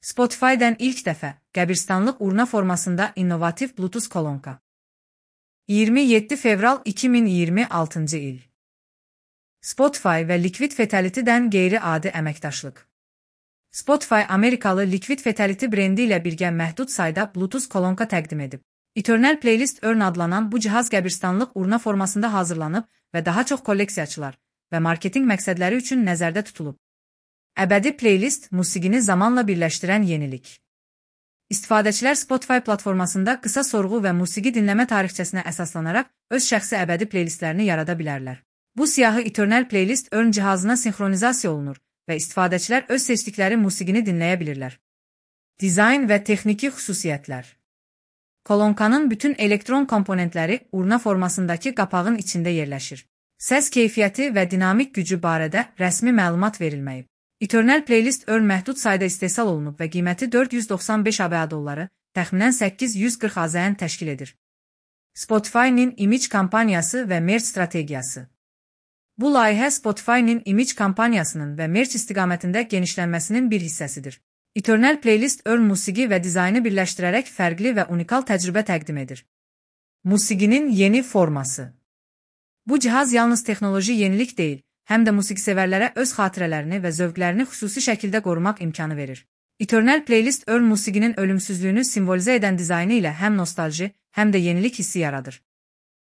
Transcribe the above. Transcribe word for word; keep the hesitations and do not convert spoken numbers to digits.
Spotify-dən ilk dəfə qəbirstanlıq urna formasında innovativ Bluetooth kolonka. iyirmi yeddi fevral iki min iyirmi altıncı il. Spotify və Liquid Fatality-dən qeyri-adi əməkdaşlıq. Spotify Amerikalı Liquid Fatality brendi ilə birgə məhdud sayda Bluetooth kolonka təqdim edib. Eternal Playlist Urn adlanan bu cihaz qəbirstanlıq urna formasında hazırlanıb və daha çox kolleksiyaçılar və marketinq məqsədləri üçün nəzərdə tutulub. Əbədi playlist musiqini zamanla birləşdirən yenilik. İstifadəçilər Spotify platformasında qısa sorğu və musiqi dinləmə tarixçəsinə əsaslanaraq öz şəxsi əbədi playlistlərini yarada bilərlər. Bu siyahı Eternal Playlist Urn cihazına sinxronizasiya olunur və istifadəçilər öz seçdikləri musiqini dinləyə bilirlər. Dizayn və texniki xüsusiyyətlər. Kolonkanın bütün elektron komponentləri urna formasındakı qapağın içində yerləşir. Səs keyfiyyəti və dinamik gücü barədə rəsmi məlumat verilməyib. Eternal Playlist Urn məhdud sayda istehsal olunub və qiyməti dörd yüz doxsan beş ABŞ dolları, təxminən səkkiz yüz qırx AZN təşkil edir. Spotify-nin image kampaniyası və merch strategiyası. Bu layihə Spotify-nin image kampaniyasının və merch istiqamətində genişlənməsinin bir hissəsidir. Eternal Playlist Urn musiqi və dizaynı birləşdirərək fərqli və unikal təcrübə təqdim edir. Musiqinin yeni forması. Bu cihaz yalnız texnoloji yenilik deyil, həm də musiqisevərlərə öz xatirələrini və zövqlərini xüsusi şəkildə qorumaq imkanı verir. Eternal Playlist Urn musiqinin ölümsüzlüyünü simvolizə edən dizaynı ilə həm nostalji, həm də yenilik hissi yaradır.